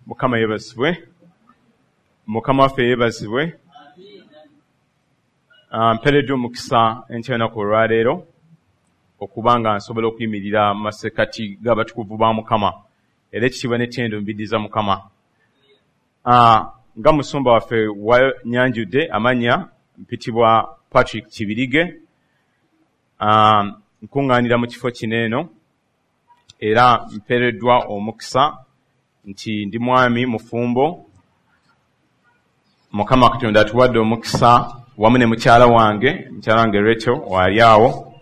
Mukama yeebazibwe. Mukama waffe yeebazibwe. Mpeereddwa omukisa enkya y'olunaku olwaleero okuba nga nsobola okuyimirira mu masekkati g'abatukuvu ba Mukama, era ekitiibwa n'ettendo mbiddiza Mukama. Nga musumba waffe wanyanjudde amannya, mpitibwa Patrick Kibirige. Nkuŋŋaanira mu kifo kino eno, era mpeereddwa omukisa nti ndi mwami mufumbo. Mukama Katonda atuwadde omukisa wamu ne mukyala wange Rachel waali awo,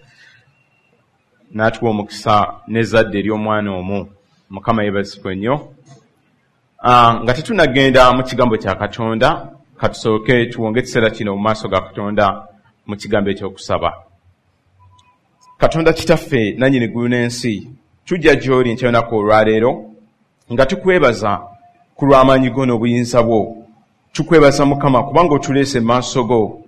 n'atuwa omukisa n'ezzadde ery'omwana omu. Mukama yeebazibwe nnyo. Nga tetunnagenda mu kigambo kya Katonda, katusooke tuwonge ekiseera kino mu maaso ga Katonda mu kigambo eky'okusaba. Katonda Kitaffe nannyini ggulu n'ensi, tujja gy'oli enkya y'olunaku olwaleero nga tukwebaza ku lw'amaanyi go n'obuyinza bwo. Tukwebaza Mukama kubanga otuleese mu maaso go.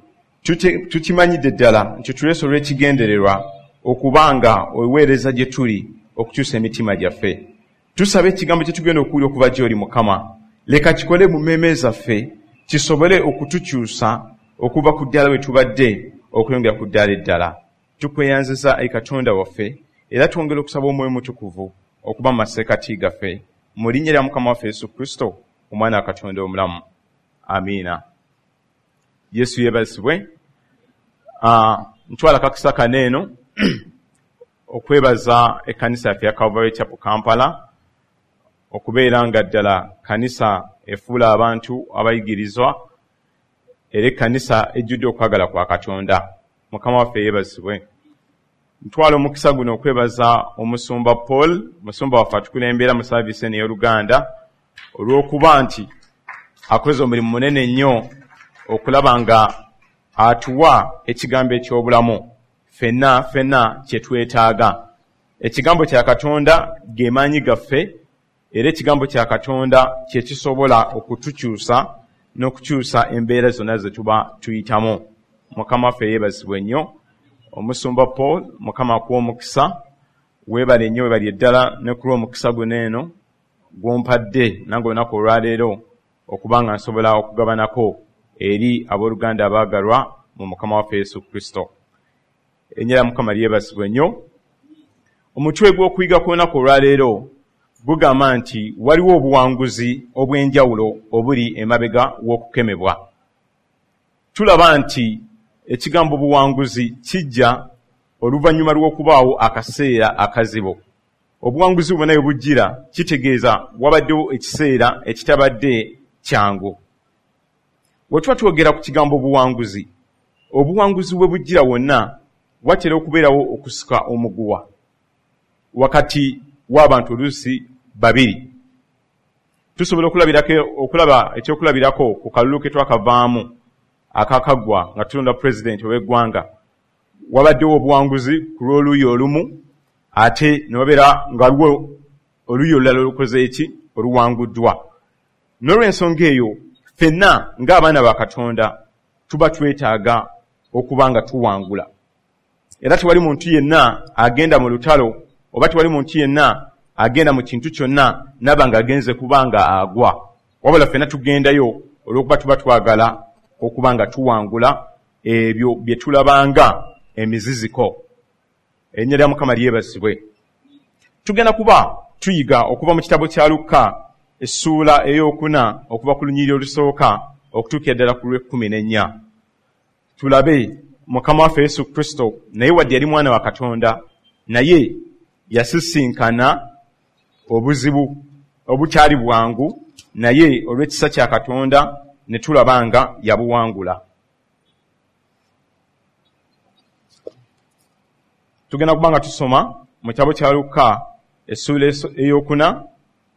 Tukimanyidde ddala nti otuleese olw'ekigendererwa okubanga oweereza gye tuli okukyusa emitima gyaffe. Tusaba ekigambo kye tugenda okuwulira okuva gy'oli Mukama, leka kikole mu mmeeme zaffe kisobole okutukyusa okuva ku ddala we tubadde okweyongera ku ddala eddala. Tukweyanziza ayi Katonda waffe, era twongera okusaba Omwoyo Mutukuvu okuba mu masekkati gaffe. Mu linnya lya Mukama waffe Yesu Kristo, Omwana wa Katonda omulamu. Amiina. Yesu yeebazibwe. Ntwala akakisa kano eno okwebaza ekkanisa yaffe ya Calvary Chapel Kampala okubeera nga ddala kkanisa efuula abantu abayigirizwa, era ekkanisa ejjudde okwagala kwa Katonda. Mukama waffe yeebazibwe. Ntwala omukisa guno okwebaza omusumba Paul, musumba waffe atukulembera mu saaviisi eno ey'Oluganda, olw'okuba nti akoze omulimu munene nnyo okulaba nga atuwa ekigambo eky'obulamu ffenna ffenna kye twetaaga. Ekigambo kya Katonda ge maanyi gaffe, era ekigambo kya Katonda kye kisobola okutukyusa n'okukyusa embeera zonna ze tuba tuyitamu. Mukama waffe yeebazibwe nnyo. Omusumba Paul, Mukama akuwe omukisa, weebale nnyo, weebale ddala ne ku lw'omukisa guno eno gw'ompadde nange olunaku olwaleero okuba nga nsobola okugabanako eri abooluganda abaagalwa mu Mukama waffe Yesu Kristo. Erinnya lya Mukama lyebazibwe nnyo. Omutwe gw'okuyiga kw'olunaku olwaleero gugamba nti waliwo obuwanguzi obw'enjawulo obuli emabega w'okukemebwa. Tulaba nti ekigambo buwanguzi kijja oluvannyuma lw'okubaawo akaseera akazibu. Obuwanguzi bwonna bwe bujjira kitegeeza wabaddewo ekiseera ekitabadde kyangu. Bwe tuba twogera ku kigambo buwanguzi, obuwanguzi bwe bujjira wonna watera okubeerawo okusika omuguwa wakati w'abantu oluusi babiri. Tusobola okulaba ekyokulabirako ku kalulu ke twakavaamu akakaggwa nga tulonda pulezidenti ow'eggwanga. Wabaddewo obuwanguzi ku lw'oluuyi olumu, ate ne wabeera nga waliwo oluuyi olulala olukoze eki oluwanguddwa. N'olw'ensonga eyo ffenna ng'abaana ba Katonda tuba twetaaga okuba nga tuwangula. Era tewali muntu yenna agenda mu lutalo oba tewali muntu yenna agenda mu kintu kyonna n'aba ng'agenze kuba nga agwa. Wabula ffenna tugendayo olw'okuba tuba twagala okuba nga tuwangula ebyo bye tulabanga emiziziko. Erinnya lya Mukama lyebazibwe. Tugenda kuba tuyiga okuva mu kitabo kya Lukka essuula ey'okuna okuva ku lunyiriri olusooka okutuukira ddala ku lw'ekkumi n'ennya. Tulabe Mukama waffe Yesu Kristo, naye wadde yali mwana wa Katonda, naye yasisinkana obuzibu obutali bwangu, naye olw'ekisa kya Katonda ne tulaba nga yabuwangula. Tugenda kuba nga tusoma mu kitabo kya Lukka essuula ey'okuna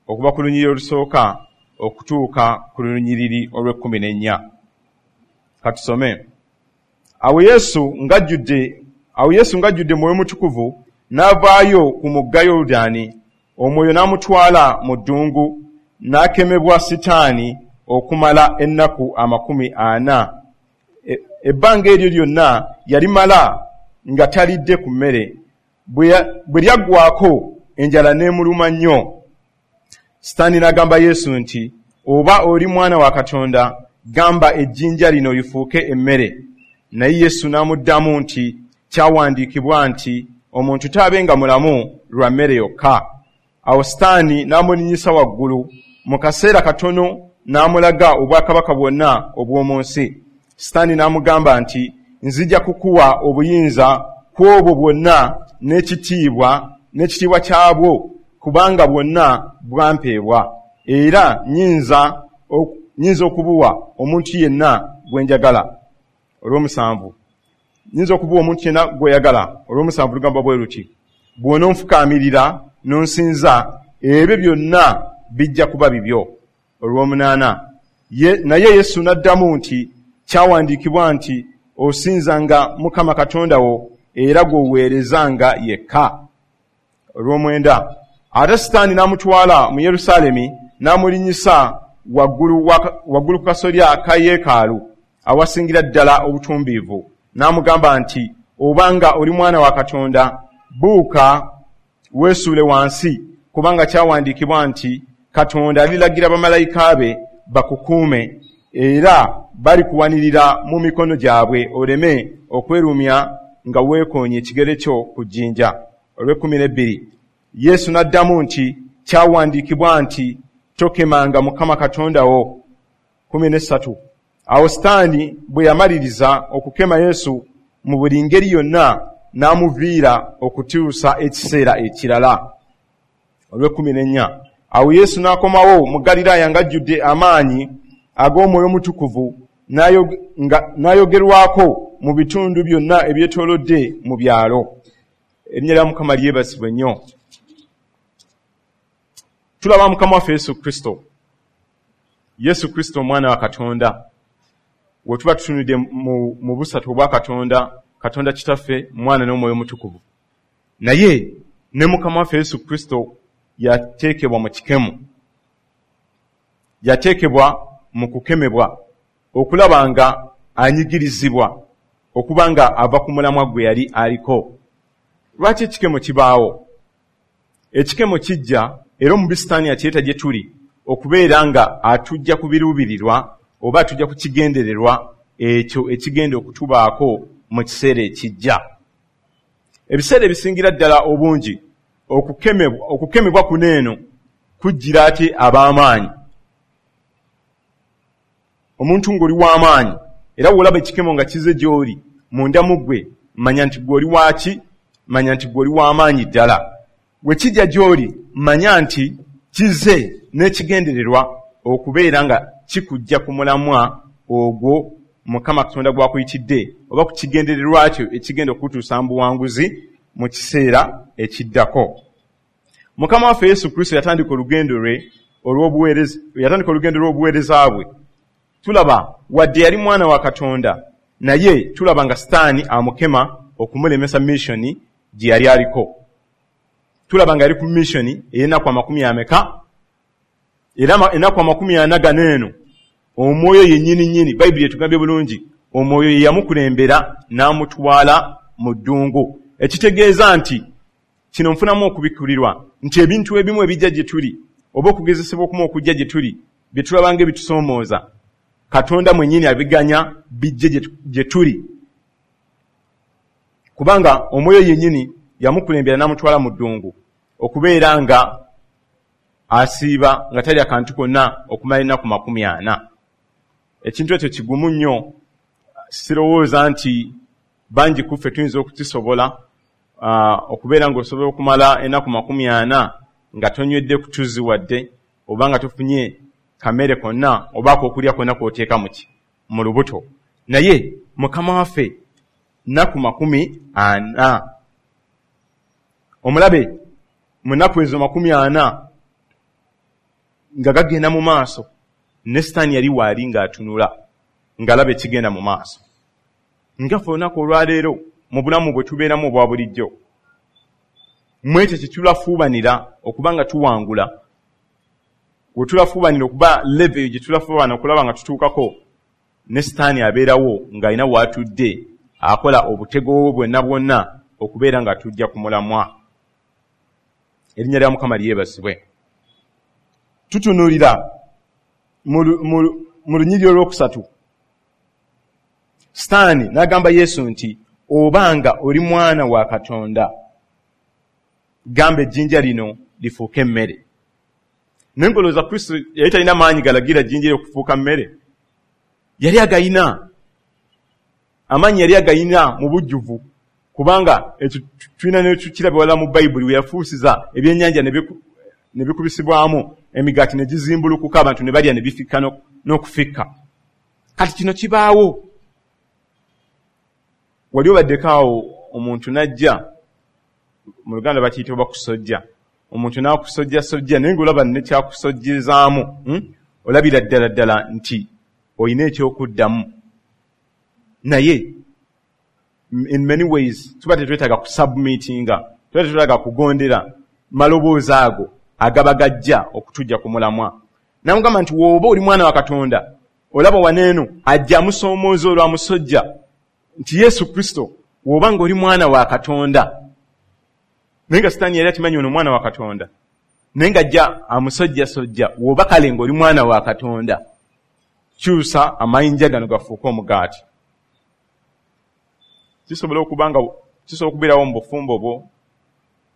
okuva ku lunyiriri olusooka okutuuka ku lunyiriri olw'ekkumi n'ennya. Katusome. Awo Yesu ng'ajjudde Mwoyo Mutukuvu n'avaayo ku mugga Yoludaani, Omwoyo n'amutwala mu ddungu, n'akemebwa Sitaani okumala ennaku 40. Ebbanga eryo lyonna yalimala nga talidde ku mmere. Bwe lyaggwaako enjala n'emuluma nnyo. Sitaani n'agamba Yesu nti, oba oli mwana wa Katonda, gamba ejjinja lino lifuuke emmere. Naye Yesu n'amuddamu nti, kyawandiikibwa nti, omuntu taabenga mulamu lwa mmere yokka. Awo Sitaani n'amulinnyisa waggulu mu kaseera katono n'amulaga obwakabaka bwonna obw'omu nsi. Sitaani n'amugamba nti, nzija kukuwa obuyinza ku obwo bwonna n'ekitiibwa kyabwo, kubanga bwonna bwampeebwa, era nnyinza okubuwa omuntu yenna gwe njagala. Olw'omusanvu, nnyinza okubuwa omuntu yenna gw'oyagala. Olw'omusanvu lugamba bwe luti, bw'ononfukaamirira n'onsinza, ebyo byonna bijja kuba bibyo. Olw'omunaana, naye Yesu n'addamu nti, kyawandiikibwa nti, osinzanga Mukama Katonda wo era gw'oweerezanga yekka. Olw'omwenda, ate Sitaani n'amutwala mu Yerusaalemi n'amulinnyisa waggulu ku kasolya ka yeekaalu awasingira ddala obutumbiivu, n'amugamba nti, obanga oli mwana wa Katonda, buuka weesuule wansi, kubanga kyawandiikibwa nti, Katonda alilagira bamalayika be bakukuume, era balikuwanirira mu mikono gyabwe oleme okwerumya nga weekoonye ekigere kyo ku jjinja. Olw'ekumi n'ebbiri, Yesu n'addamu nti, kyawandiikibwa nti, tokemanga Mukama Katonda wo. 13, awo Sitaani bwe yamaliriza okukema Yesu mu buli ngeri yonna, n'amuviira okutuusa ekiseera ekirala. Olw'ekumi n'ennya, awo Yesu n'akomawo mu Ggaliraaya ng'ajjudde amaanyi ag'Omwoyo Omutukuvu, n'ayogerwako mu bitundu byonna ebyetoolodde mu byalo. Erinnya lya Mukama lyebazibwe nnyo. Tulaba Mukama waffe Yesu Kristo, Yesu Kristo omwana wa Katonda. We tuba tutunudde mu busatu obwa Katonda, Katonda Kitaffe, Mwana n'Omwoyo Omutukuvu, naye ne Mukama waffe Yesu Kristo yateekebwa mu kikemo, yateekebwa mu kukemebwa okulaba nga anyigirizibwa okuba nga ava ku mulamwa gwe yali aliko. Lwaki ekikemo kibaawo? Ekikemo kijja era omubi Sitaani akireeta gye tuli okubeera nga atujja ku biruubirirwa oba atujja ku kigendererwa ekyo ekigenda okutubaako mu kiseera ekijja. Ebiseera ebisingira ddala obungi okukemebwa kuno eno kujjira ate ab'amaanyi. Omuntu ng'oli w'amaanyi era w'olaba ekikemo nga kize gy'oli munda mu ggwe, manya nti ggwe oli waaki, manya nti ggwe oli w'amaanyi ddala. We kijja gy'oli, manya nti kize n'ekigendererwa okubeera nga kikujja ku mulamwa ogwo Mukama Katonda gw'akuyitidde oba ku kigendererwa kyo ekigenda okutuusa mu buwanguzi mu kiseera ekiddako. Mukama waffe Yesu Kristo yatandika olugendo lwe olw'obuweereza, yatandika olugendo lw'obuweereza bwe. Tulaba wadde yali mwana wa Katonda, naye tulaba nga Sitaani amukema okumulemesa missioni gye yali aliko. Tulaba nga yali ku missioni ey'ennaku amakumi ameka, era ennaku 40 gano eno omwoyo yennyini nnyini, Bayibuli etugambye bulungi, omwoyo ye yamukulembera n'amutwala mu ddungu. Ekitegeeza nti kino nfunamu okubikkulirwa nti ebintu ebimu ebijja gye tuli oba okugezesebwa okumu okujja gye tuli bye tulaba ng'ebitusoomooza, Katonda mwennyini abiganya bijje gye tuli, kubanga omwoyo yennyini yamukulembera n'amutwala mu ddungu okubeera nga asiiba nga talya kantu konna okumala ennaku 40. Ekintu ekyo kigumu nnyo, sirowooza nti bangi ku ffe tuyinza okukisobola, okubeera ng'osobola okumala ennaku 40 nga tonywedde ku tuzzi wadde oba nga tofunye kamere konna oba ak'okulya konna k'oteeka mu lubuto. Naye Mukama waffe nnaku 40, omulabe mu nnaku ezo 40 nga gagenda mu maaso, ne Sitaani yali waali ng'atunula ng'alaba ekigenda mu maaso. Nga ffe olunaku olwaleero mu bulamu bwe tubeeramu obwa bulijjo, mu ekyo kye tulafuubanira okuba nga tuwangula, we tulafuubanira okuba level gye tulafuubana okulaba nga tutuukako, ne Sitaani abeerawo ng'alina w'atudde akola obutego bwe bwonna bwonna okubeera nga tujja ku mulamwa. Erinnya lya Mukama lyebazibwe. Tutunuulira mu lunyiriri olwokusatu, Sitaani n'agamba Yesu nti, obanga oli mwana wa Katonda, gamba ejjinja lino lifuuke emmere. Naye ng'olowooza Kristo yali talina maanyi galagira jjinja okufuuka mmere? Yali agayina amaanyi, yali agayina mu bujjuvu, kubanga ekyo tulina nekukiraba wala mu Bayibuli we yafuusiza ebyennyanja ne bikubisibwamu emigaati ne gizimbulukuka, abantu ne balya ne bifikka n'okufikka. Kati kino kibaawo. Wali obaddeko awo omuntu n'ajja, mu Luganda bakiyita oba kusojja, omuntu n'akusojjasojja naye ng'olaba nekyakusojjezaamu, olabira ddala ddala nti olina ekyokuddamu. Naye in many ways tuba tetwetaaga kusubmitinga, tuba tetwetaaga kugondera maloboozi ago agaba gajja okutujja ku mulamwa. Namugamba nti w'oba oli mwana wa Katonda, olaba waneeno ajja amusoomooza olwo amusojja nti Yesu Kristo w'oba ng'oli mwana wa Katonda. Naye nga Sitaani yali akimanyi ono mwana wa Katonda, naye ng'ajja amusojjasojja, w'oba kale ng'oli mwana wa Katonda, kyusa amayinja gano gafuuke omugaati. Kisobola okuba nga kisobola okubeerawo mu bufumbo bwo,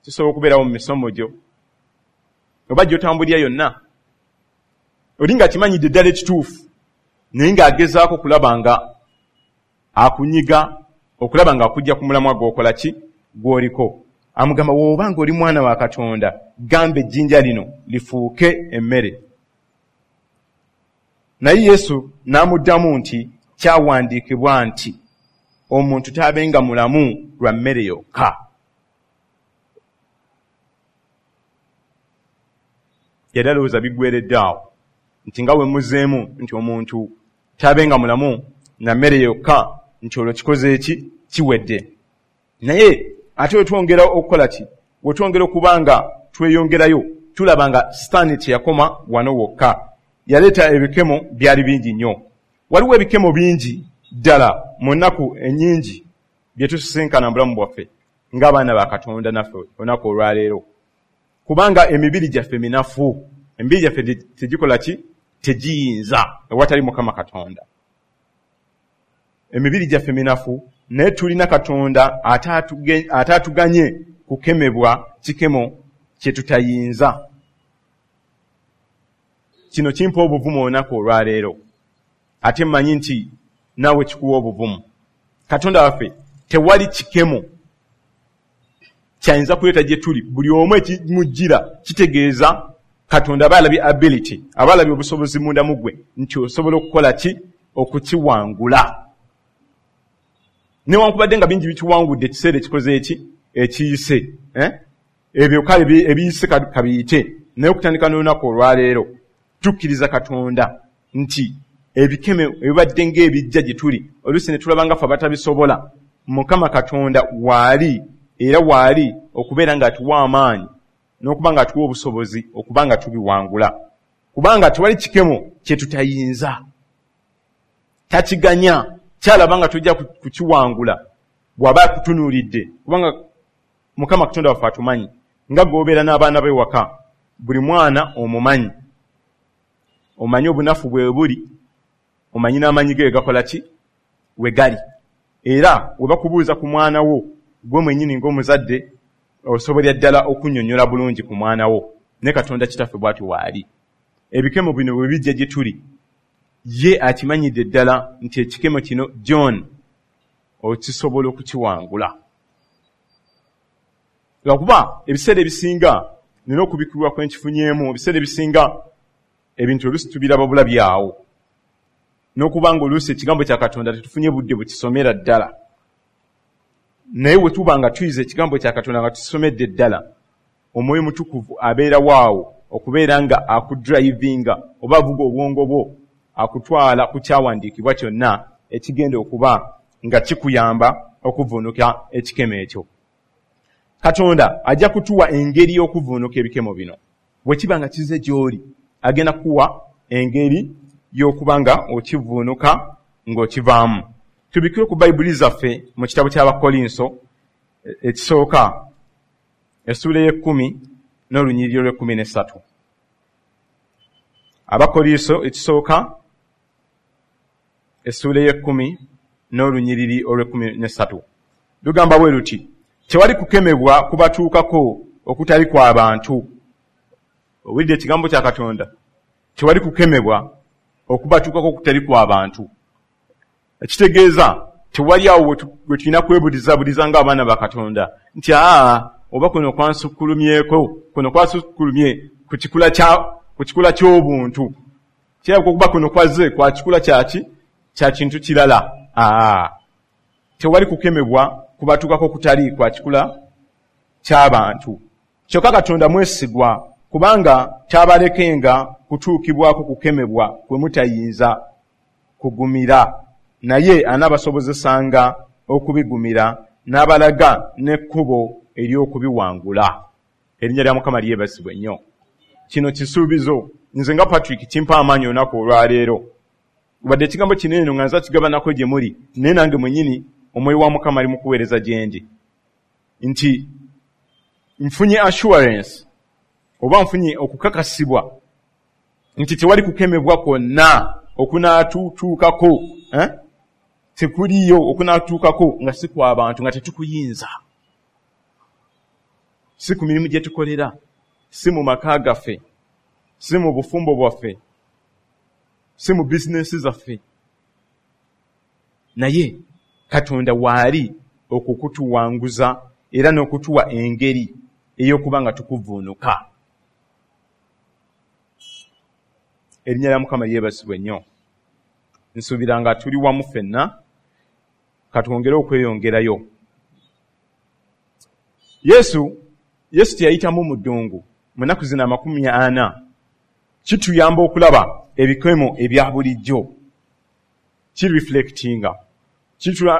kisobola okubeerawo mu misomo gyo, oba gy'otambulira yonna. Oli ng'akimanyidde ddala ekituufu, naye ng'agezaako okulaba nga akunyiga, okulaba nga akujja ku mulamwa gw'okola ki gw'oliko. Amugamba w'oba ng'oli mwana wa Katonda, gamba ejjinja lino lifuuke emmere. Naye Yesu n'amuddamu nti kyawandiikibwa nti omuntu taabenga mulamu lwa mmere yokka. Yali alowooza biggweredde awo nti nga we muzeemu nti omuntu taabenga mulamu na mmere yokka, nti olwo kikoze eki kiwedde. Naye ate wetwongera okukola ki, wetwongera okuba nga tweyongerayo, tulaba nga Sitaani teyakoma wano wokka, yaleeta ebikemo byali bingi nnyo. Waliwo ebikemo bingi ddala mu nnaku ennyingi bye tusisinkana mu bulamu bwaffe ng'abaana ba Katonda naffe olunaku olwaleero, kubanga emibiri gyaffe minafu, emibiri gyaffe tegikola ki, tegiyinza ewatali Mukama Katonda. Emibiri gyaffe minafu, naye tulina Katonda ataatuganye kukemebwa kikemo kye tutayinza. Kino kimpa obuvumu olunaku olwaleero, ate mmanyi nti naawe kikuwa obuvumu. Katonda waffe tewali kikemo kyayinza kuleeta gye tuli. Buli omu ekimujjira kitegeeza Katonda aba alabye ability, aba alabye obusobozi munda mu ggwe nti osobola okukola ki, okukiwangula. Newankubadde nga bingi bikiwangudde ekiseera ekikoze eki ekiyise, ebyo kale ebiyise kabiyite, naye okutandika n'olunaku olwaleero tukkiriza Katonda nti ebikeme ebibadde ng'ebijja gye tuli, oluusi ne tulaba nga ffe abatabisobola, Mukama Katonda waali era waali okubeera ng'atuwa amaanyi n'okuba ng'atuwa obusobozi okuba nga tubiwangula, kubanga tewali kikemo kye tutayinza. Takiganya, kyalaba nga tujja kukiwangula bw'aba akutunuulidde, kubanga Mukama Katonda waffe atumanyi nga gw'obeera n'abaana be waka, buli mwana omumanyi, omanyi obunafu bwe buli, omanyi n'amaanyi ge gakola ki we gali. Era we bakubuuza ku mwana wo gwe mwennyini ng'omuzadde, osobolera ddala okunnyonnyola bulungi ku mwana wo. Ne Katonda Kitaffe bw'atyo waali. Ebikemo bino bwe bijja gye tuli, ye akimanyidde ddala nti ekikemo kino John okisobola okukiwangula. Lwakuba ebiseera ebisinga nina okubikkulirwa kwe nkifunyeemu, ebiseera ebisinga ebintu oluusi tubiraba bulabi awo, n'okuba nga oluusi ekigambo kya Katonda tetufunye budde bukisomera ddala. Naye bwe tuba nga tuyize ekigambo kya Katonda nga tukisomedde ddala, Omwoyo Mutukuvu abeera waawo okubeera nga akudrivinga oba avuga obwongo bwo, akutwala ku kyawandiikibwa kyonna ekigenda okuba nga kikuyamba okuvuunuka ekikemo ekyo. Katonda ajja kutuwa engeri y'okuvuunuka ebikemo bino. Bwe kiba nga kize gy'oli, agenda kuwa engeri y'okuba nga okivuunuka ng'okivaamu. Tubikkire ku Bayibuli zaffe mu kitabo ky'Abakkolinso ekisooka, essuula ey'ekkumi n'olunyiriri olw'ekkumi n'essatu. Abakkolinso ekisooka essuula ey'ekkumi n'olunyiriri olw'ekkumi n'essatu lugamba bwe luti: tewali kukemebwa kubatuukako okutali kwa bantu. Owulidde ekigambo kya Katonda? Tewali kukemebwa okubatuukako okutali kwa bantu. Ekitegeeza tewali awo we tulina kwebulizabuliza ng'abaana ba Katonda nti aa oba kuno kwansukkulumyeko, kuno kwasukkulumye ku kikula ky'obuntu, kirabika okuba kuno kwazze kwa kikula kyaki kya kintu kirala. Aa, tewali kukemebwa kubatuukako okutali kwa kikula ky'abantu. Kyokka Katonda mwesigwa, kubanga taabalekenga kutuukibwako kukemebwa kwe mutayinza kugumira, naye anaabasobozesanga okubigumira n'abalaga n'ekkubo ery'okubiwangula. Erinnya lya Mukama lyebazibwe nnyo. Kino kisuubizo nze nga Patrick kimpa amaanyi olunaku olwaleero. Wadde ekigambo kino eno nga nza kigabanako gye muli, naye nange mwennyini omwoyo wa Mukama ali mu kuweereza gye ndi nti nfunye assurance oba nfunye okukakasibwa nti tewali kukemebwa kwonna okunaatutuukako, tekuliyo okunaatutuukako nga si kwa bantu, nga tetukuyinza, si ku mirimu gye tukolera, si mu maka gaffe, si mu bufumbo bwaffe, si mu bizinensi zaffe, naye Katonda waali okukutuwanguza era n'okutuwa engeri ey'okuba nga tukuvuunuka. Erinnya lya Mukama lyebazibwe nnyo. Nsuubira nga tuli wamu ffenna, katwongere okweyongerayo. Yesu teyayitamu mu ddungu mu nnaku zino 40 kituyamba okulaba ebikemo ebya bulijjo, kireflectinga,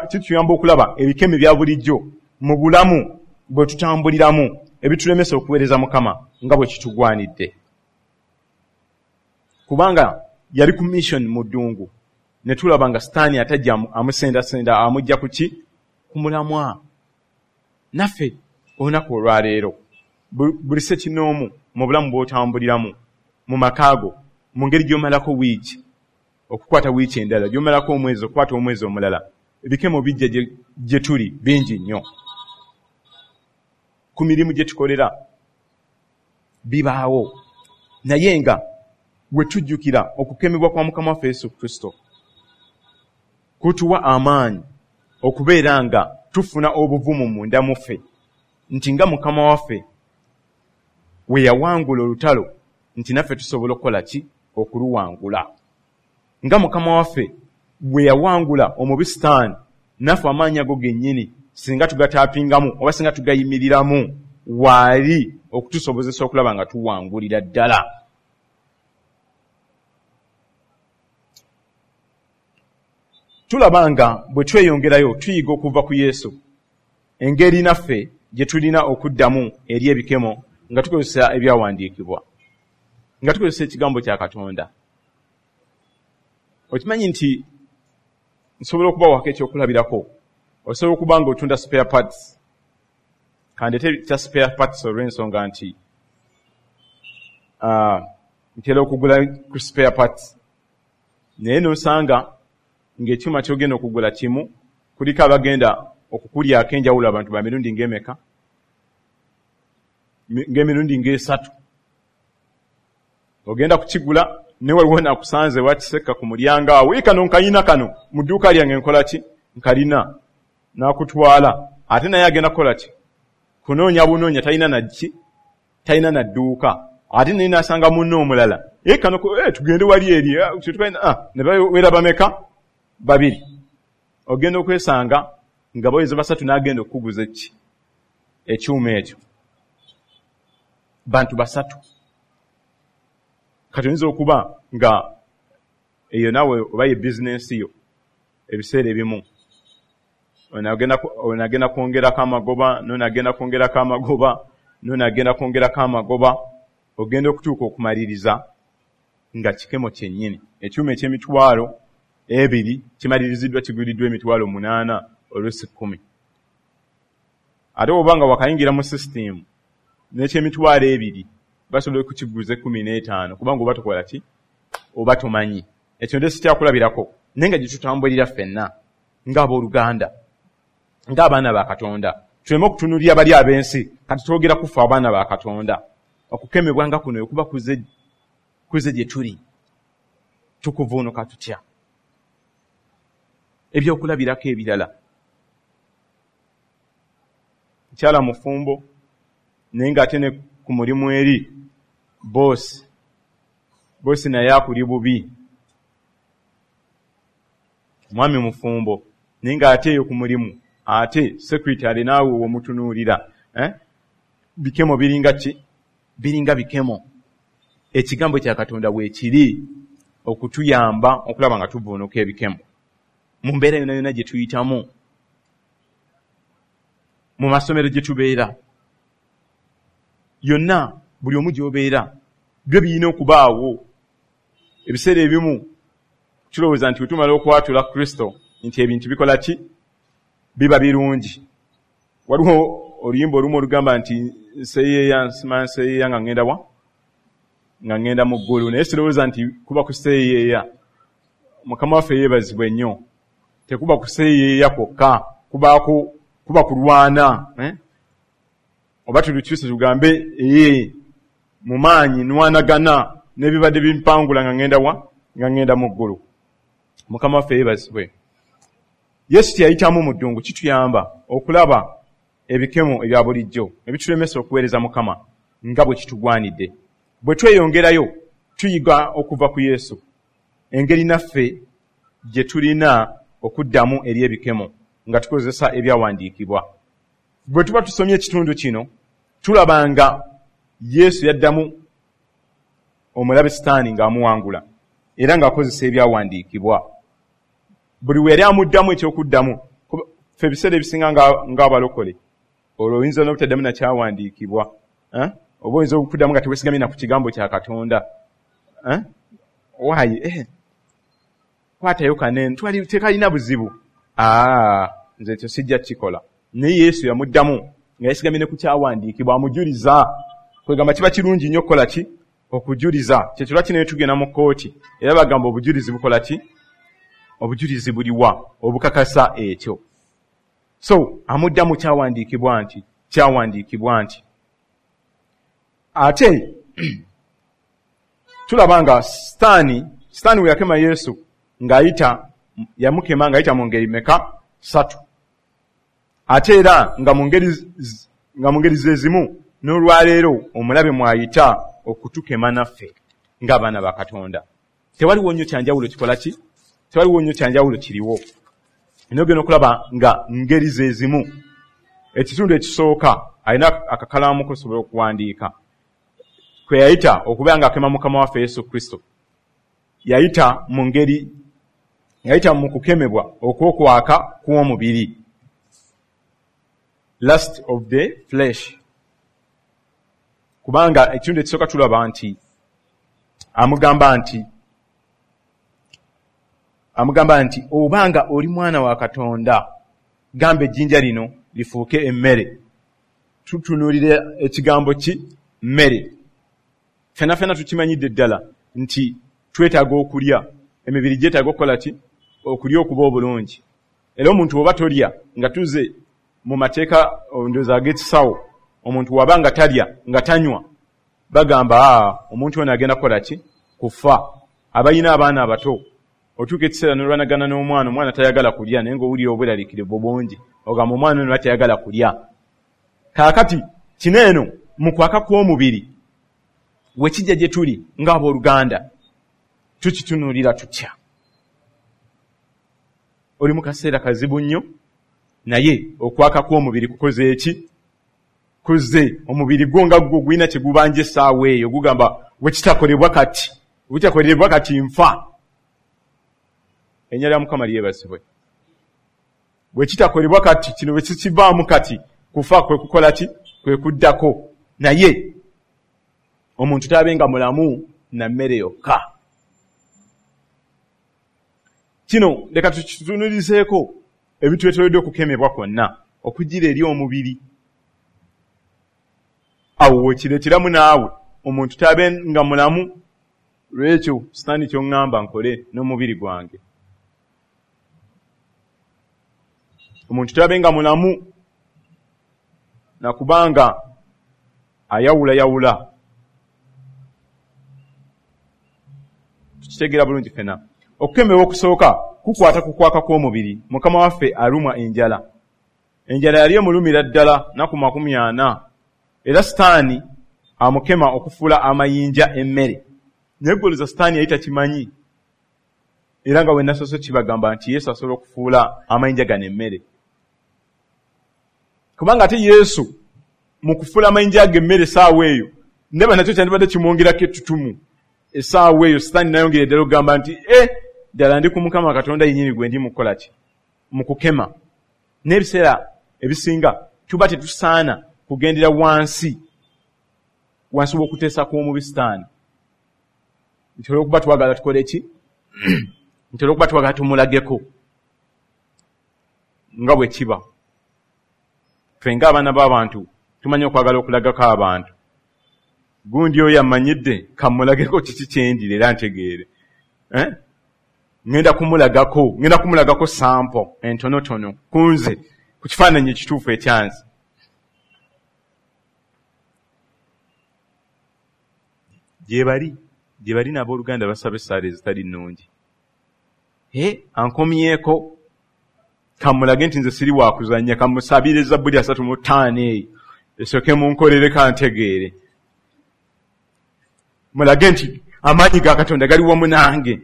kituyamba okulaba ebikemo ebya bulijjo mu bulamu bwe tutambuliramu ebitulemesa okuweereza Mukama nga bwe kitugwanidde. Kubanga yali ku mission mu ddungu, ne tulaba nga Sitaani atajja amusendasenda amujja ku ki? Ku mulamwa. Naffe olunaku olwaleero buli ssekinnoomu mu bulamu bw'otambuliramu, mu maka go, mu ngeri gy'omalako wiiki, okukwata wiiki endala, gy'omalako omwezi, okukwata omwezi omulala, ebikemo bijja gye tuli bingi nnyo. Ku mirimu gye tukolera bibaawo, naye nga bwe tujjukira okukemebwa kwa Mukama waffe Yesu Kristo kutuwa amaanyi okubeera nga tufuna obuvumu munda mu ffe nti nga Mukama waffe we yawangula olutalo nti naffe tusobola okukola ki? Okuluwangula. Nga Mukama waffe bwe yawangula omubi Sitaani, naffe amaanyi ago gennyini singa tugataapingamu oba singa tugayimiriramu waali okutusobozesa okulaba nga tuwangulira ddala. Tulaba nga bwe tweyongerayo tuyiga okuva ku Yesu engeri naffe gye tulina okuddamu eri ebikemo nga tukozesa ebyawandiikibwa, nga tukozesa ekigambo kya Katonda. Okimanyi nti nsobola okubawako ekyokulabirako, osobola okuba nga otunda spare parts, kandeete kya spare parts olw'ensonga nti ntera okugula ku spare parts, naye n'osanga ng'ekyuma ky'ogenda okugula kimu kuliko abagenda okukulyako enjawulo abantu ba mirundi ng'emeka, ng'emirundi ng'esatu. Ogenda kukigula ne waliwo nakusanze wakisekka ku mulyango awo, kano nkayina kano mu dduuka lyange nkola ki? Nkalina. N'akutwala, ate naye agenda kukola ki? Kunoonya bunoonya, talina na ki? Talina na dduuka. Ate naye n'asanga munne omulala, kano tugende wali eri, ne bawera bameka? Babiri. Ogenda okwesanga nga baweze basatu n'agenda okukuguza eki? Ekyuma ekyo. Bantu basatu. Kati oyinza okuba nga eyo naawe oba ye bizinensi yo ebiseera ebimu onagenda kwongerako amagoba, n'onagenda kwongerako amagoba, n'onagenda kwongerako amagoba, ogenda okutuuka okumaliriza nga kikemo kyennyini. Ekyuma eky'emitwalo 2 kimaliriziddwa kiguliddwa emitwalo 8 oluusi 10. Ate oba nga wakayingira mu sisitimu n'eky'emitwalo 2 basobola okukiguza 15 kubanga oba tokola ki? oba tomanyi. Ekyo nde sikyakulabirako, naye nga gye tutambulira ffenna ng'abooluganda, ng'abaana ba Katonda. Tuleme okutunuulira bali ab'ensi, kati twogera ku ffe abaana ba Katonda. Okukemebwa nga kuno okuba kuze gye tuli, tukuvuunuka tutya? Ebyokulabirako ebirala, mukyala mufumbo naye ng'ate ne ku mulimu eri boosi naye akuli bubi. Mwami mufumbo naye ng'ate eyo ku mulimu ate secretary naawe womutunuulira, bikemo biringa ki? Biringa bikemo. Ekigambo kya Katonda weekiri okutuyamba okulaba nga tuvuunuka ebikemo mu mbeera yonna yonna gye tuyitamu, mu masomero gye tubeera yonna, buli omu gy'obeera, byo birina okubaawo. Ebiseera ebimu tulowooza nti wetumala okwatula Kristo nti ebintu bikola ki? Biba birungi. Waliwo oluyimba olumu olugamba nti nseeyeeya, nsima nseeyeeya nga ngenda wa? Nga ngenda mu ggulu. Naye sirowooza nti kuba kuseeyeeya. Mukama waffe yeebazibwe nnyo. Tekuba kuseeyeeya kwokka, kubaako kuba kulwana, Oba tulukyuse tugambe mu maanyi nwanagana n'ebibadde bimpangula nga ngenda wa? Nga ngenda mu ggulu. Mukama waffe yeebazibwe. Yesu teyayitamu mu ddungu kituyamba okulaba ebikemo ebya bulijjo ebitulemesa okuweereza Mukama nga bwe kitugwanidde. Bwe tweyongerayo tuyiga okuva ku Yesu engeri naffe gye tulina okuddamu eri ebikemo nga tukozesa ebyawandiikibwa. Bwe tuba tusomye ekitundu kino tulaba nga Yesu yaddamu omulabe Sitaani ng'amuwangula era ng'akozesa ebyawandiikibwa. Buli we yali amuddamu ekyokuddamu, ffe ebiseera ebisinga ng'abalokole olwo oyinza n'obutaddamu nakyawandiikibwa, oba oyinza okuddamu nga teweesigamye na ku kigambo kya Katonda. Waayi kwatayo kanene tekalina buzibu, nze ekyo sijja kukikola. Naye Yesu yamuddamu nga yeesigamye ne ku kyawandiikibwa, amujuliza. Kwegamba kiba kirungi nnyo okukola ki? Okujuliza. Kyekyo lwaki naye tugenda mu kkooti era bagamba obujulizi bukola ki? Obujulizi buliwa obukakasa ekyo? So amuddamu kyawandiikibwa nti, kyawandiikibwa nti. Ate tulaba nga Sitaani we yakema Yesu ng'ayita, yamukema ng'ayita mu ngeri meka? 3. Ate era nga mu ngeri ze zimu n'olwaleero omulabe mw'ayita okutukema naffe ng'abaana ba Katonda. Tewaliwo nnyo kyanjawulo kikola ki? Tewaliwo nnyo kyanjawulo kiriwo. N'ogenda okulaba nga ngeri ze zimu. Ekitundu ekisooka alina akakalaamu kosobola okuwandiika kwe yayita okubeera ng'akema Mukama waffe Yesu Kristo. Yayita mu ngeri, yayita mu kukemebwa okw'okwaka kw'omubiri, lust of the flesh. Kubanga ekitundu ekisooka tulaba nti amugamba nti obanga oli mwana wa Katonda gamba ejjinja lino lifuuke emmere. Tutunuulira ekigambo ki? Mmere. Ffenna ffenna tukimanyidde ddala nti twetaaga okulya, emibiri gyetaaga okukola ki? Okulya okuba obulungi. Era omuntu bw'oba tolya, nga tuze mu mateeka ndowooza ag'ekisawo, omuntu waba nga talya nga tanywa, bagamba omuntu ono agenda kukola ki? Kufa. Abalina abaana abato otuuka ekiseera n'olwanagana n'omwana, omwana tayagala kulya naye ng'owulira obweraliikirivu bungi, ogamba omwana ono tayagala kulya. Kaakati kino eno mu kwaka kw'omubiri we kijja gye tuli ng'abooluganda tukitunuulira tutya? Oli mu kaseera kazibu nnyo, naye okwaka kw'omubiri kukoze eki? Kuzze. Omubiri gwo nga gwo gulina kye gubanja essaawa eyo, gugamba wekitakolebwa kati, wekitakolebwa kati nfa. Erinnya lya Mukama lyebazibwe. Bwe kitakolebwa kati, kino bwe kikivaamu kati, kufa kwe kukola ki? Kwe kuddako. Naye omuntu tabenga mulamu na mmere yokka. Kino leka tukitunulizeeko ebitwetoolodde okukemebwa kwonna okugira eri omubiri. Awo wekireeteramu naawe omuntu tabenga mulamu Lwekyo Sitaani ky'oŋŋamba nkole n'omubiri gwange. Omuntu tabenga mulamu nakubanga ayawulayawula. Tukitegeera bulungi ffenna. Okukemebwa okusooka kukwata ku kwaka kw'omubiri. Mukama waffe alumwa enjala. Enjala yali emulumira ddala nnaku 40. Era Sitaani amukema okufuula amayinja emmere. Naye ggoloza Sitaani yali takimanyi. Era nga bwe nasoose kibagamba nti Yesu asobola okufuula amayinja gano emmere. Kubanga ate Yesu mu kufuula amayinja ago emmere essaawa eyo, ndaba nakyo kyandibadde kimwongerako ettutumu. Essaawa eyo Sitaani n'ayongera ddala okugamba nti ddala ndi ku Mukama Katonda yennyini gwe ndi mu kukola ki? Mu kukema. N'ebiseera ebisinga tuba tetusaana kugendera wansi w'okuteesa kw'omubi Sitaani. Nti olw'okuba twagala tukole ki? Nti olw'okuba twagala tumulageko nga bwe kiba. Ffe ng'abaana b'abantu tumanyi okwagala okulagako abantu. Gundi oyo amanyidde kamulageko kiki kyendira era ntegeere. Ngenda kumulagako sampo entonotono kunze ku kifaananyi ekituufu ekyanze. Gye bali n'abooluganda basaba essaala ezitali nnungi. Ankomyeko kamulage nti nze siri wakuzannya, kamusabire Zabbuli 35 eyo esooke munkolere kantegeere. Mulage nti amaanyi ga Katonda gali wamu nange,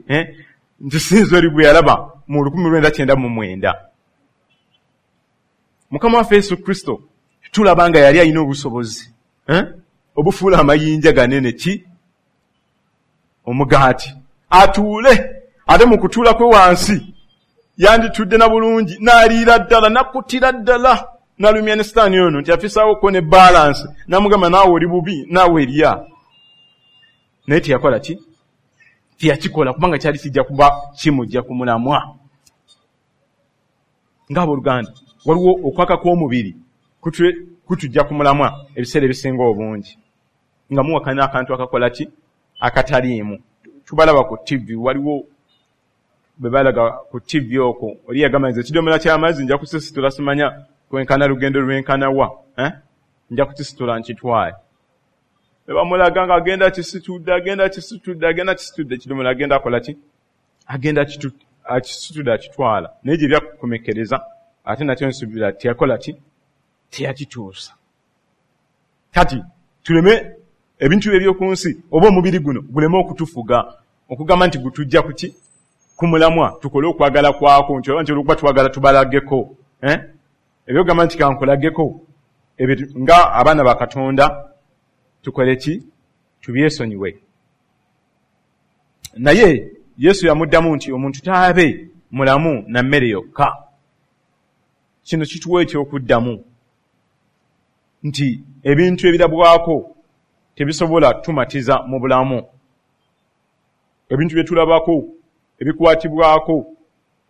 nti sinze oli gwe yalaba mu 1999. Mukama waffe Yesu Kristo tulaba nga yali alina obusobozi obufuula amayinja ganene ki? Omugaati. Atuule, ate mu kutuula kwe wansi yanditudde na bulungi, n'aliira ddala, n'akkutira ddala, n'alumya ne Sitaani ono nti afisaawoko ne balansi, n'amugamba naawe oli bubi, naawe erya. Naye teyakola ki? Teyakikola kubanga kyali kijja kuba kimujja ku mulamwa. Ng'abooluganda, waliwo okwaka kw'omubiri kutujja ku mulamwa ebiseera ebisinga obungi. Nga muwakana akantu akakola ki? Akataliimu. Tubalaba ku TV, waliwo bwe balaga ku TV okwo, oli yagamba nze ekidomola ky'amazzi nja kusisitula simanya kwenkana lugendo lwenkana wa, nja kukisitula nkitwale. Ne bamulaga nga agenda kisitudde, ekidomola agenda akola ki? Agenda akisitudde akitwala. Naye gye byakukomekkereza ate nakyo nsuubira teyakola ki? Teyakituusa. Kati tuleme ebintu eby'oku nsi oba omubiri guno guleme okutufuga okugamba nti gutujja ku ki? Ku mulamwa, tukole okwagala kwako nti oba nti olw'okuba twagala tubalageko. Ebyogamba nti kankulageko nga abaana ba Katonda tukole ki? Tubyesonyiwe. Naye Yesu yamuddamu nti omuntu taabe mulamu na mmere yokka. Kino kituwa ekyokuddamu nti ebintu ebirabwako tebisobola tumatiza mu bulamu. Ebintu bye tulabako ebikwatibwako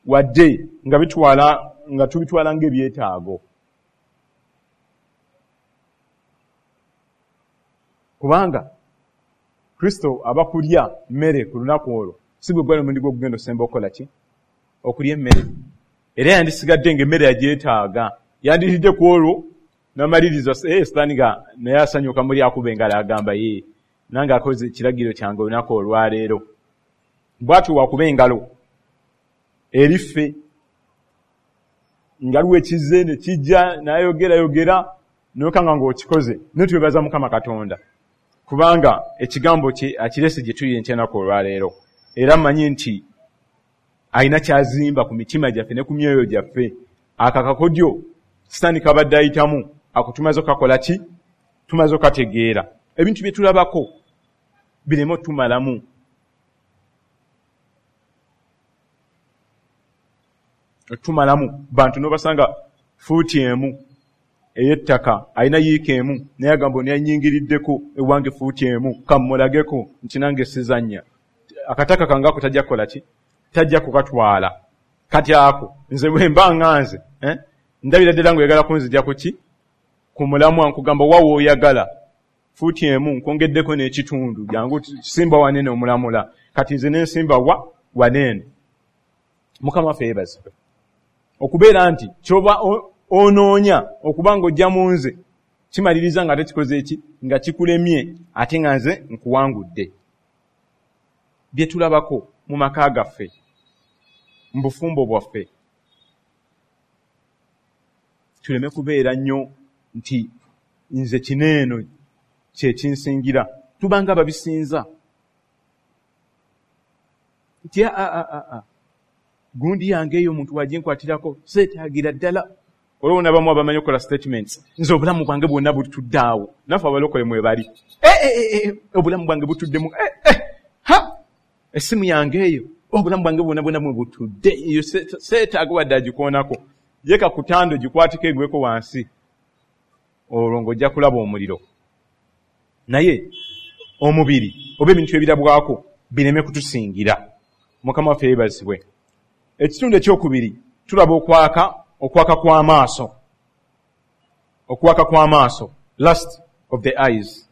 wadde nga bitwala nga tubitwala ng'ebyetaago. Kubanga Kristo aba kulya mmere ku lunaku olwo, si gwe gwali omulundi gw'okugenda osemba okukola ki? Okulya emmere. Era yandisigadde ng'emmere yagyetaaga. Yandiridde ku olwo n'amaliriza Sitaani nga naye asanyuka muli akuba engalo agamba ye nange akoze ekiragiro kyange olunaku olwaleero. Bw'atyo wakuba engalo eri ffe nga aliwo ekizze ne kijja n'ayogerayogera n'okanga ng'okikoze. Naye twebaza Mukama Katonda kubanga ekigambo kye akirese gye tuli enkya olwaleero. Era mmanyi nti alina ky'azimba ku mitima gyaffe ne ku myoyo gyaffe. Akakakodyo Sitaani kabadde ayitamu ako tumaze okakola ki? Tumaze okategeera. Ebintu bye tulabako bireme otumalamu. Otumalamu bantu n'obasanga fuuti emu ey'ettaka alina yiika emu naye agamba ono yannyingiriddeko ewange fuuti emu kammulageko nti nange sizannya. Akataka kange ako tajja kukola ki? Tajja kukatwala. Kati ako nze bwe mba nga nze ndabira ddala ng'oyagala kunzija ku ki? Ku mulamwa nkugamba wa w'oyagala. Fuuti 1 nkwongeddeko n'ekitundu, jangu simba wanene omulamula. Kati nze nensimba waneeno. Mukama waffe yeebazibwe. Okubeera nti kyoba onoonya okuba ng'ojja mu nze kimaliriza nga tekikoze eki, nga kikulemye ate nga nze nkuwangudde. Bye tulabako mu maka gaffe, mu bufumbo bwaffe, tuleme kubeera nnyo nti nze kino eno kye kinsingira. Tubanga ababisinza nti gundi yange eyo omuntu waginkwatirako seetaagira ddala. Olwo nabamu abamanyi okukola statements, nze obulamu bwange bwonna butudde awo. Naffe abalokole mwebali, obulamu bwange butuddemu, ha essimu yange eyo obulamu bwange bwonna bwonna bwe butudde, eyo seetaaga wadde agikoonako. Yeka ku tando gikwatiko egweko wansi, olwo ng'ojja kulaba omuliro. Naye omubiri oba ebintu ebirabwako bireme kutusingira. Mukama waffe yeebazibwe. Ekitundu ekyokubiri tulaba okwaka kw'amaaso. Okwaka kw'amaaso, lust of the eyes.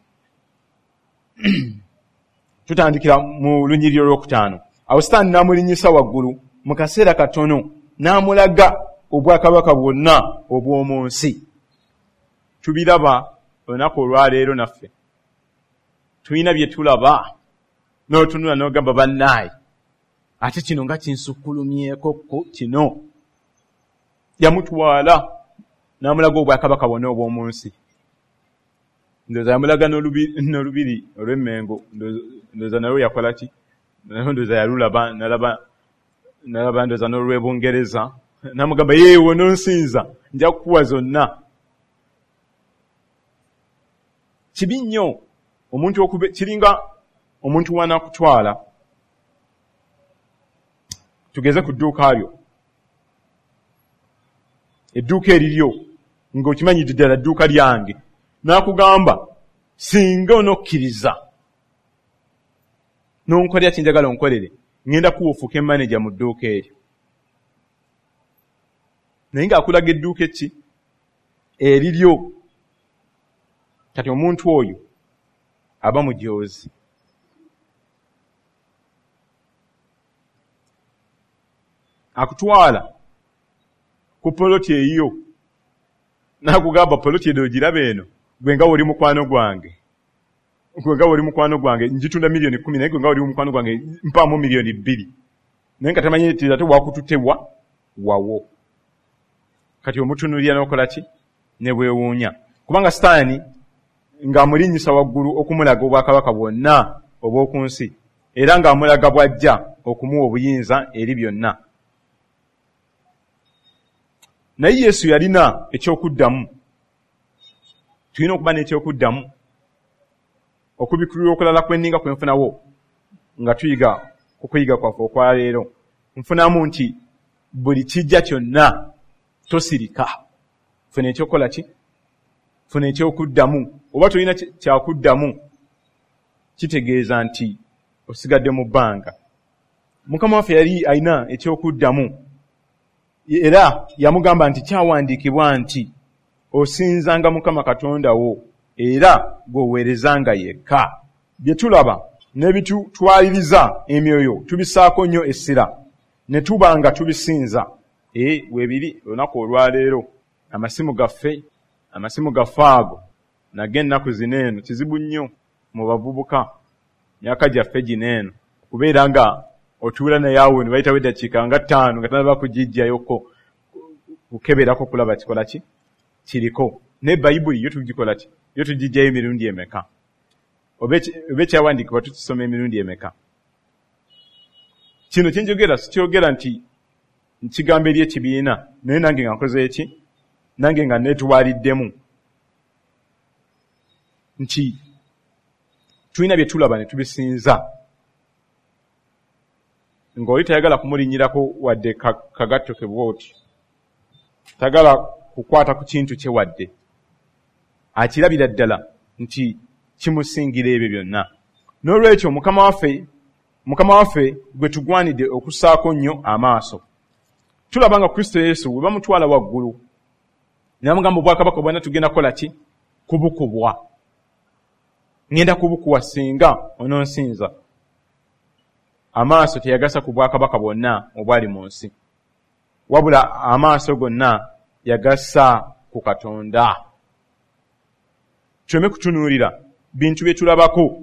Tutandikira mu lunyiriri olwokutaano. Awo Sitaani n'amulinnyisa waggulu mu kaseera katono n'amulaga obwakabaka bwonna obw'omu nsi. Tubiraba olunaku olwaleero naffe. Tulina bye tulaba n'otunula n'ogamba bannaayi, ate kino nga kinsukkulumyeko kino. Yamutwala n'amulaga obwakabaka bwonna obw'omu nsi. Ndowooza yamulaga n'olubiri olw'Emmengo, ndowooza nalwo yakola ki? Ndowooza yalulaba, nalaba ndowooza n'olw'e Bungereza. N'amugamba, yeewo n'onsinza, nja kukuwa zonna. Kibi nnyo omuntu kiringa omuntu w'anaakutwala. Tugeze ku dduuka lyo. Edduuka eriryo ng'okimanyi ddala dduuka lyange. N'akugamba singa onokkiriza n'onkolera kye njagala onkolere, ŋŋenda kuwa ofuuke maneja mu dduuka eryo. Naye ng'akulaga edduuka eki eriryo. Kati omuntu oyo aba mujoozi. Akutwala ku poloti eyiyo n'akugamba poloti eno ogiraba eno, gwe nga woli mukwano gwange, gwe nga woli mukwano gwange ngitunda 10,000,000, naye gwe nga woli mukwano gwange mpaamu 2,000,000. Naye nga tamanyi nti ate wakututte wawo. Kati omutunuulira n'okola ki? Ne bwewuunya. Kubanga Sitaani ng'amulinnyisa waggulu okumulaga obwakabaka bwonna obw'oku nsi, era ng'amulaga bw'ajja okumuwa obuyinza eri byonna. Naye Yesu yalina ekyokuddamu. Tulina okuba n'ekyokuddamu. Okubikkulirwa okulala kwenninga kwe nfunawo nga tuyiga ku kuyiga kwaffe okwaleero, nfunamu nti buli kijja kyonna tosirika. Funa ekyokukola ki? Funa ekyokuddamu. Oba tolina kyakuddamu, kitegeeza nti osigadde mu bbanga. Mukama waffe yali alina ekyokuddamu. Era yamugamba nti kyawandiikibwa nti osinzanga Mukama Katonda wo era gw'oweerezanga yekka. Bye tulaba n'ebitutwaliriza emyoyo tubisaako nnyo essira ne tuba nga tubisinza. Weebiri olunaku olwaleero amasimu gaffe ago nago ennaku zino eno kizibu nnyo mu bavubuka myaka gyaffe gino eno okubeera nga otuula naye awo ne bayitawo eddakiika nga 5 nga tanaba kugijjayoko kukeberako kulaba kikola ki kiriko. Ne Bayibuli yo tugikola ki? Yo tugijjayo emirundi emeka? Oba ekyawandiikibwa tukisoma emirundi emeka? Kino kye njogera sikyogera nti nkigamba eri ekibiina, naye nange nga nkoze eki? Nange nga neetwaliddemu nti tulina bye tulaba ne tubisinza. Ng'oli tayagala kumulinnyirako wadde kagatto ke bw'oti, tayagala kukwata ku kintu kye wadde, akirabira ddala nti kimusingira ebyo byonna. N'olwekyo Mukama waffe gwe tugwanidde okussaako nnyo amaaso. Tulaba nga Kristo Yesu bwe bamutwala waggulu ne bamugamba obwakabaka bwonna tugenda kukola ki? Kubukubwa. Ŋŋenda kubukuwa singa ononsinza. Amaaso teyagassa ku bwakabaka bwonna obwali mu nsi, wabula amaaso gonna yagassa ku Katonda. Tuleme kutunuulira bintu bye tulabako,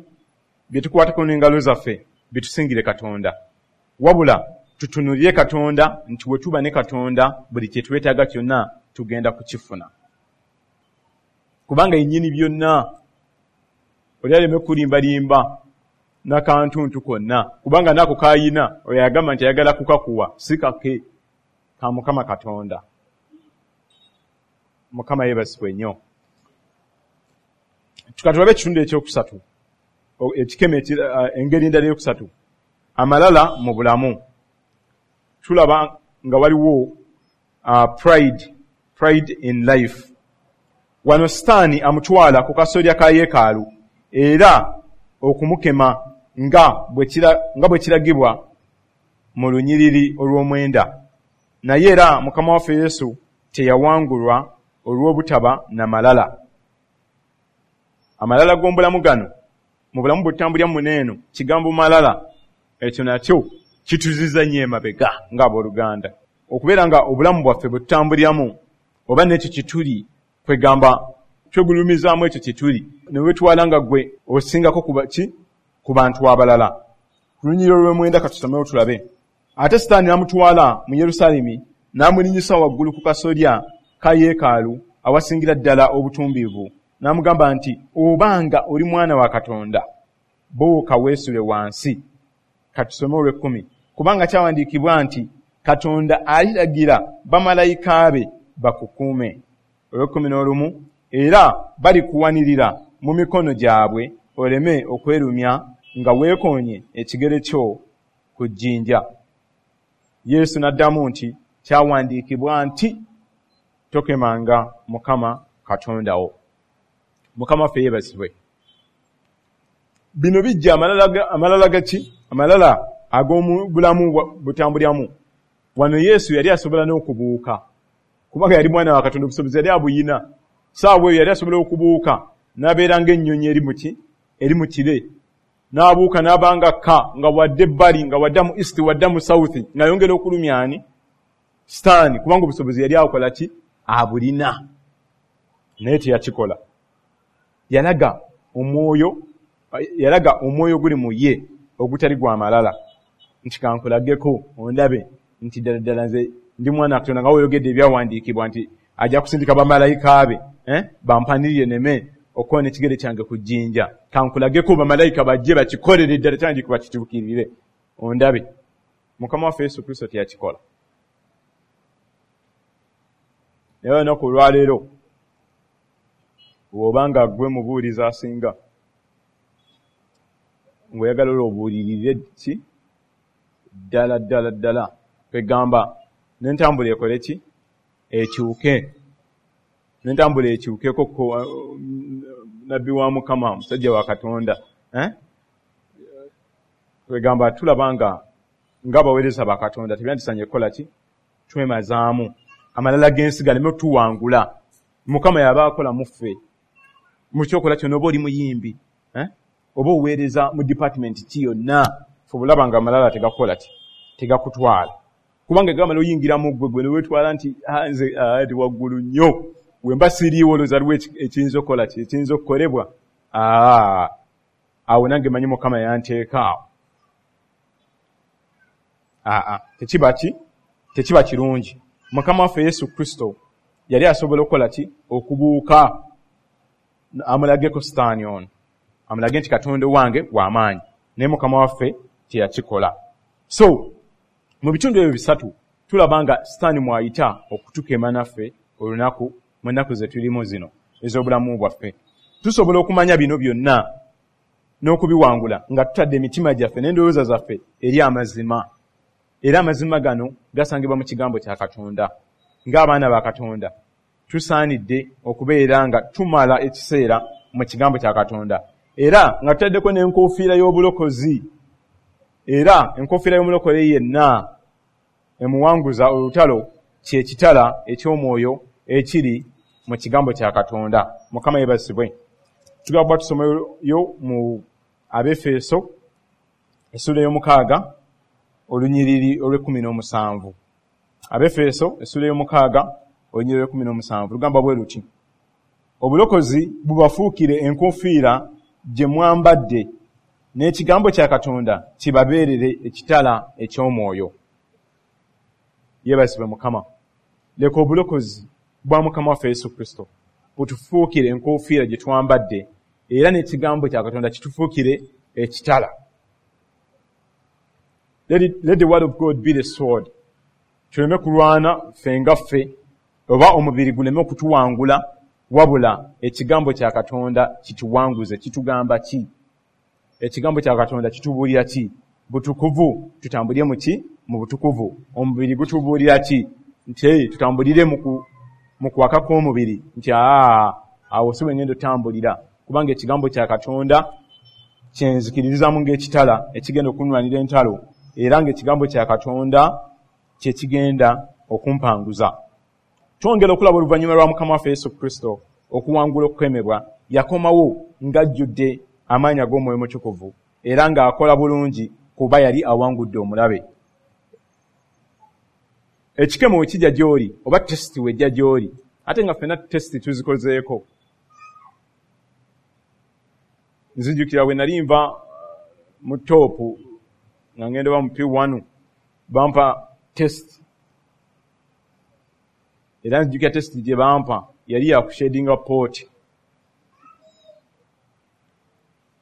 bye tukwatako n'engalo zaffe, bitusingire Katonda, wabula tutunuulire Katonda nti we tuba ne Katonda buli kye twetaaga kyonna tugenda kukifuna, kubanga yennyini byonna. Oli aleme kulimbalimba nakantuntu konna, kubanga nako kayina oyo agamba nti ayagala kukakuwa, si kake, ka Mukama Katonda. Mukama yeebazibwe nnyo. Tukatulabe ekitundu ekyokusatu, ekikemo, engeri endala eyokusatu, amalala mu bulamu. Tulaba nga waliwo pride in life. Wano Sitaani amutwala ku kasolya ka yeekaalu era okumukema nga bwe kiragibwa mu lunyiriri olw'omwenda. Naye era Mukama waffe Yesu teyawangulwa olw'obutaba na malala. Amalala g'omubulamu gano, mu bulamu bwe tutambulira muno eno, kigambo malala ekyo nakyo kituziza nnyo emabega ng'abooluganda, okubeera nga obulamu bwaffe bwe tutambuliramu oba n'ekyo kituli, kwegamba twegulumizaamu ekyo kituli, ne wetwala nga gwe osingako ku bantu abalala. Ku lunyiriri olw'omwenda katusomewo tulabe. Ate Sitaani n'amutwala mu Yerusaalemi n'amulinnyisa waggulu ku kasolya ka yeekaalu awasingira ddala obutumbiivu, n'amugamba nti, obanga oli mwana wa Katonda, buuka weesule wansi. Katusome olw'ekkumi. Kubanga kyawandiikibwa nti Katonda aliragira bamalayika be bakukuume. Olw'ekumi n'olumu, era balikuwanirira mu mikono gyabwe oleme okwerumya nga weekoonye ekigere kyo ku jjinja. Yesu n'addamu nti, kyawandiikibwa nti tokemanga Mukama Katonda wo. Mukama waffe yeebazibwe. Bino bijja amalala gaki? Amalala ag'omu bulamu butambuliramu. Wano Yesu yali asobola n'okubuuka, kubanga yali mwana wa Katonda, obusobozi yali abuyina. Saawa eyo yali asobola okubuuka n'abeera ng'ennyonyi eri muki eri mu kire, n'abuuka n'abanga kka nga wadde ebbali, nga wadda mu east, wadda mu south, ng'ayongera okulumya ani? Sitaani, kubanga obusobozi yali akola ki? Abulina. Naye teyakikola. Yalaga omwoyo guli mu ye ogutali gwa malala, nti kankulageko ondabe nti ddala ddala nze ndi mwana wa Katonda, nga weeyogedde ebyawandiikibwa nti ajja kusindika bamalayika be bampanirire neme okukoona ekigere kyange ku jjinja. Kankulageko bamalayika bajje bakikolere ddala kyawandiikibwa kituukirire, ondabe. Mukama waffe Yesu Kristo teyakikola. Naye olunaku olwaleero, bw'obanga gwe mubuulizi asinga, ng'oyagala olwo obuulirire ki ddala ddala ddala, kwegamba n'entambula ekole ki? Ekyuke, n'entambula ekyukeko. Nabbi wa Mukama, musajja wa Katonda, eh? Kwegamba tulaba nga ng'abaweereza ba Katonda tebyandisanye kukola ki? Twemazaamu amalala g'ensi galeme tuwangula. Mukama yaba akola mu ffe mu kyokola kyonna, oba oli muyimbi, eh? Oba oweereza mu department ki yonna, fe obulaba nga amalala tegakukola ki? Tegakutwala, kubanga gamala oyingira mu ggwe, gwe newetwala nti, "Ah, nze ndi waggulu nnyo, wemba siriiwo olowooza aliwo ekiyinza okukola ki, ekiyinza okukolebwa?" Awo nange manyi Mukama yanteeka awo. Aa, tekiba ki? Tekiba kirungi. Mukama waffe Yesu Kristo yali asobola okukola ki? Okubuuka amulageko Sitaani ono, amulage nti Katonda wange w'amaanyi, naye Mukama waffe teyakikola. So mu bitundu ebyo bisatu tulaba nga Sitaani mwayita okutukema naffe olunaku mu nnaku ze tulimu zino ez'obulamu bwaffe. Tusobola okumanya bino byonna n'okubiwangula nga tutadde emitima gyaffe n'endowooza zaffe eri amazima, era amazima gano gasangibwa mu kigambo kya Katonda. Ng'abaana ba Katonda tusaanidde okubeera nga tumala ekiseera mu kigambo kya Katonda, era nga tutaddeko n'enkofiira y'obulokozi, era enkofiira y'omulokole yenna emuwanguza olutalo kyekitala eky'omwoyo ekiri mu kigambo kya Katonda. Mukama yeebazibwe. Tugamba tusomayo mu Abefeso essula 6 olunyiriri olw'17. Abefeso essula 6 olunyiriri olw'17 lugamba bwe luti: obulokozi bubafuukire enkofiira gye mwambadde, n'ekigambo kya Katonda kibabeerere ekitala eky'omwoyo. Yeebazibwe Mukama. Leka obulokozi bwa Mukama waffe Yesu Kristo butufuukire enkofiira gye twambadde, era n'ekigambo kya Katonda kitufuukire ekitala. Let the word of God be the sword. Tuleme kulwana ffe nga ffe, oba omubiri guleme okutuwangula, wabula ekigambo kya Katonda kituwanguze. Kitugamba ki? Ekigambo kya Katonda kitubuulira ki? Butukuvu. Tutambulire mu ki? Mu butukuvu. Omubiri gutubuulira ki? Nti tutambulire mu kwaka kw'omubiri, nti awo si bwe ngenda otambulira, kubanga ekigambo kya Katonda kyenzikiririzaamu ng'ekitala ekigenda okunwanira entalo, era ng'ekigambo kya Katonda kye kigenda okumpanguza. Twongera okulaba oluvannyuma lwa Mukama waffe Yesu Kristo okuwangula okukemebwa, yakomawo ng'ajjudde amaanyi ag'Omwoyo Mutukuvu, era ng'akola bulungi kuba yali awangudde omulabe. Ekikemo we kijja gy'oli, oba tesiti wejja gy'oli, ate nga ffenna tesiti tuzikozeeko. Nzijukira bwe nali nva mu toopu nga ngenda oba mu P1, bampa test, era nzijukira test gye bampa yali ya kushadinga pooti.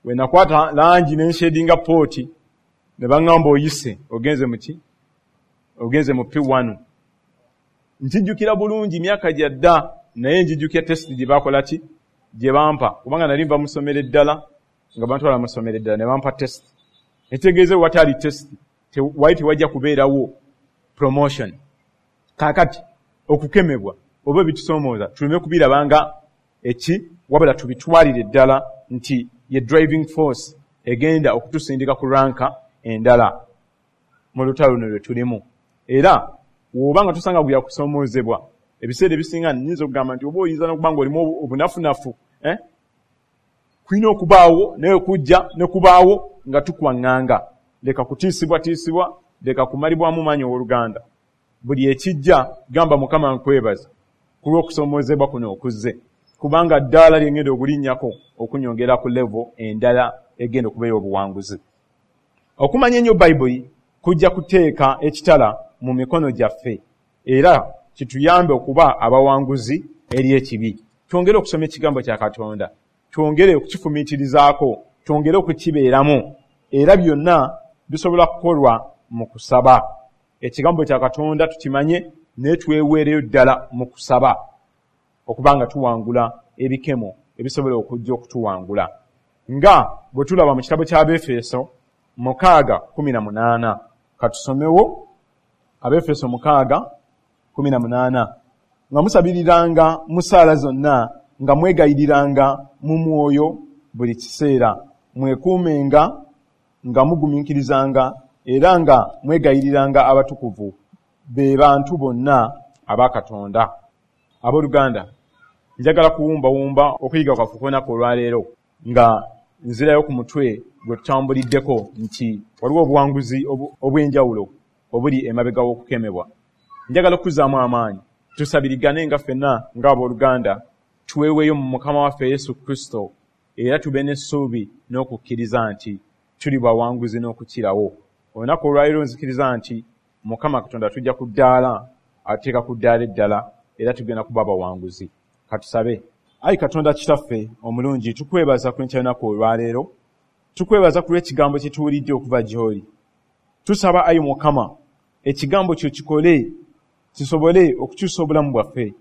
Bwe nakwata langi ne nshadinga pooti, ne baŋŋamba oyise ogenze mu ki? Ogenze mu P1. Nkijjukira bulungi myaka gya dda, naye njijjukira test gye bakola ki? Gye bampa, kubanga nali nva mu ssomero eddala, nga bantwala mu ssomero eddala ne bampa test. Ekitegeeza wataali test, wali tewajja kubeerawo promotion. Kaakati okukemebwa oba ebitusoomooza tuleme kubirabanga eki, wabula tubitwalire ddala nti ye driving force egenda okutusindika ku ranka endala mu lutalo luno lwe tulimu. Era bw'oba nga tosanga gwe yakusoomoozebwa, ebiseera ebisinga nnyinza okugamba nti oba oyinza n'okuba ng'olimu obunafunafu, kulina okubaawo naye okujja ne kubaawo nga tukwaŋŋanga. Leka kutiisibwatiisibwa, leka kumalibwamu maanyi owooluganda. Buli ekijja gamba Mukama nkwebaza ku lw'okusoomoozebwa kuno okuzze, kubanga ddaala lye ngenda okulinnyako okunyongera ku level endala egenda okuba ey'obuwanguzi. Okumanya ennyo Bayibuli kujja kuteeka ekitala mu mikono gyaffe, era kituyambe okuba abawanguzi eri ekibi. Twongere okusoma ekigambo kya Katonda, twongere okukifumiitirizaako, twongere okukibeeramu, era byonna bisobola kukolwa mu kusaba. Ekigambo kya Katonda tukimanye, naye tweweereyo ddala mu kusaba okuba nga tuwangula ebikemo ebisobola okujja okutuwangula. Nga bwe tulaba mu kitabo ky'Abefeso 6:18, katusomewo Abefeso 6:18. Nga musabiriranga mu ssaala zonna, nga mwegayiriranga mu mwoyo buli kiseera, mwekuumenga nga mugumiikirizanga, era nga mwegayiriranga abatukuvu, be bantu bonna aba Katonda. Abooluganda, njagala kuwumbawumba okuyiga kwaffe kw'olunaku olwaleero nga nzirayo ku mutwe gwe tutambuliddeko nti waliwo obuwanguzi obw'enjawulo obuli emabega w'okukemebwa. Njagala okuzzaamu amaanyi, tusabirigane nga ffenna ng'abooluganda, tweweeyo mu Mukama waffe Yesu Kristo, era tube n'essuubi n'okukkiriza nti tuli bawanguzi n'okukirawo. Olunaku olwaleero nzikiriza nti Mukama Katonda tujja ku ddaala, atuteeka ku ddaala eddala, era tugenda kuba abawanguzi. Katusabe. Ayi Katonda Kitaffe omulungi, tukwebaza ku nkya y'olunaku olwaleero, tukwebaza ku lw'ekigambo kye tuwulidde okuva gy'oli. Tusaba ayi Mukama, ekigambo kyo kikole, kisobole okukyusa obulamu bwaffe,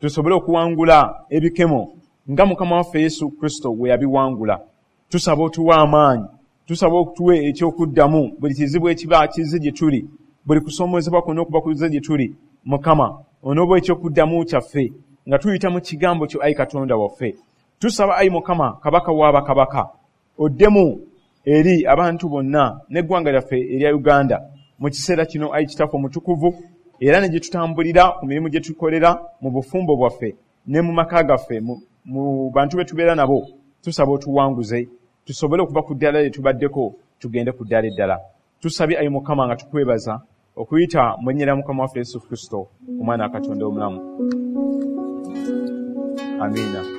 tusobole okuwangula ebikemo nga Mukama waffe Yesu Kristo bwe yabiwangula. Tusaba otuwe amaanyi, tusaba otuwe ekyokuddamu buli kizibu ekiba kizze gye tuli, buli kusoomoozebwa kwonna okuba kuzze gye tuli. Mukama, onooba ekyokuddamu kyaffe nga tuyita mu kigambo kyo ayi Katonda waffe. Tusaba ayi Mukama, Kabaka w'abakabaka, oddemu eri abantu bonna n'eggwanga lyaffe erya Uganda mu kiseera kino ayi Kitaffe omutukuvu, era ne gye tutambulira ku mirimu gye tukolera mu bufumbo bwaffe ne mu maka gaffe, mu bantu be tubeera nabo. Tusaba otuwanguze, tusobole okuva ku ddaala lye tubaddeko tugende ku ddaala eddala. Tusabye ayi Mukama nga tukwebaza okuyita mu linnya lya Mukama waffe Yesu Kristo, Omwana wa Katonda omulamu. Amiina.